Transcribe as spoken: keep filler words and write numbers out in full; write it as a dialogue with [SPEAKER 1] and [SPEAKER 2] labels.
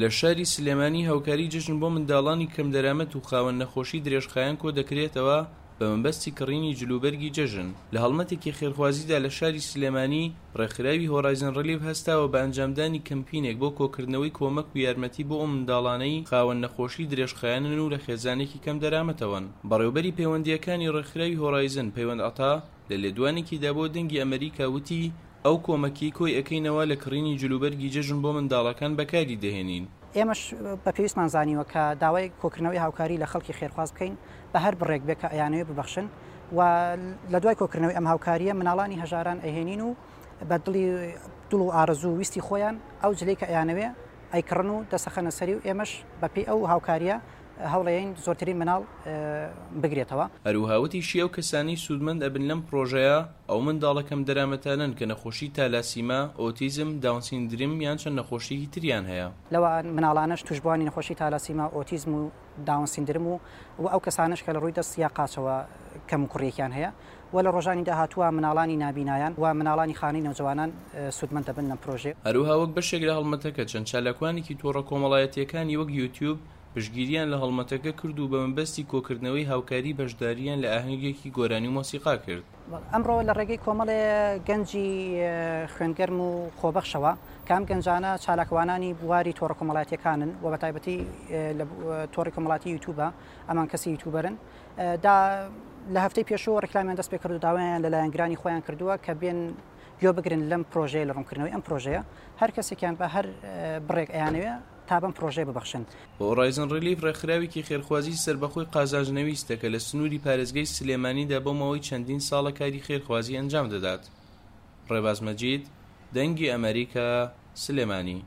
[SPEAKER 1] لە شاری سلێمانی هاوکاری جەژن بۆ منداڵانی کەمدەرامەت و خاوەن نەخۆشی درێژخایەن کۆدەکرێتەوە بە مەبەستی کڕینی جلوبەرگی جەژن. لە هەڵمەتێکی خێرخوازیدا لە شاری سلێمانی ڕێکخراوی هۆرایزن ڕیلیف هەستاوە بە ئەنجامدانی کەمپینێک بۆ کۆکردنەوەی کۆمەک و یارمەتی بۆ ئەو منداڵانەی خاوەن نەخۆشی درێژخایەنن و لە خێزانێکی کەمدەرامەتەوەن. بەڕێوبەری پەیوەندییەکانی ڕێکخراوی هۆرایزن پەیوەند عەتا لە لێدوانێکیدا بۆ دەنگی ئەمریکا وتی ئەو کۆمەکی کۆی ئەکەینەوە لە کڕینی جلوبەرگی جەژن بۆ منداڵەکان بەکاری دەهێنین.
[SPEAKER 2] ئێمەش بە پێویستمان زانیوە کە داوای کۆکردنەوەی هاوکاری لە خەڵکی خێرخواز بکەین بە هەر بڕێک بێ کە ئەیانەوێ ببەخشن و لە دوای کۆکردنەوەی ئەم هاوکاریە مناڵانی هەژاران ئەهێنین و بە دڵی دڵ و ئارەزوو ویستی خۆیان ئەو جلەی کە ئەیانەوێ ئەیکڕن و دەسەخەنە سەری و ئێمەش بەپێی ئەو هاوکاریە هەوڵەیەین زۆرترین مناڵ بگرێتەوە.
[SPEAKER 1] هەروەها وتیشی ئەو کەسانەی سوودمەند ئەبن لەم پرۆژەیە ئەو منداڵە کەم دەرامەتانەن کە نەخۆشی تالاسیما، ئۆتیزم، داون سیندرم یان چەند نەخۆشیەکی تریان هەیە.
[SPEAKER 2] لەوان مناڵانەش توشبوانی نەخۆشی تالاسیما، ئۆتیزم و داون سیندرم و و ئەو کەسانەش کە لە ڕووی دەست یا قاچەوە کەم و کوڕیەکیان هەیە و لە ڕۆژانی داهاتووە مناڵانی نابینایان و مناڵانی خانەی نەوجەوانان سوودمەند دەبن لەم پرۆژەیە.
[SPEAKER 1] هەروەها وەک بەشێک لە هەڵمەتەکە چەند چالاکوانێکی تۆڕە کۆمەڵایەتیەکانی وەک یوتیوب پشتگیریان لە هەڵمەتەکە کرد و بە مەبەستی کۆکردنەوەی هاوکاری بەشداریان لە ئاهەنگێکی گۆرانی و مۆسیقا کرد.
[SPEAKER 2] ئەمڕۆ لە ڕێگەی کۆمەڵێ گەنجی خوێنگەرم و خۆبەخشەوە کە ئەم گەنجانە چالاکوانانی بواری تۆڕە کۆمەڵایەتیەکانن و بە تایبەتی لە تۆڕی کۆمەڵاتی یوتیوبە، ئەمان کەسی یوتیوبەرن، دا لە هەفتەی پێشوو ڕێکلامیان دەست پێ کرد و داوایان لە لایەنگرانی خۆیان کردووە کە بێن گوێ بگرن لەم پرۆژەیە، لە ڕوونکردنەوەی ئەم پرۆژەیە. هەر کەسێکیان بە هەر بڕێک ئەیانەوێ تا بەم پرۆژەیە ببەخشن.
[SPEAKER 1] هۆرایزن ڕیلیف ڕێکخراوێکی خێرخوازی سەربەخۆی قازانجنەویستە کە لە سنووری پارێزگای سلێمانیدا بۆ ماوەی چەندین ساڵە کاری خێرخوازی ئەنجام دەدات. ڕێباز مەجید، دەنگی ئەمریکا، سلێمانی.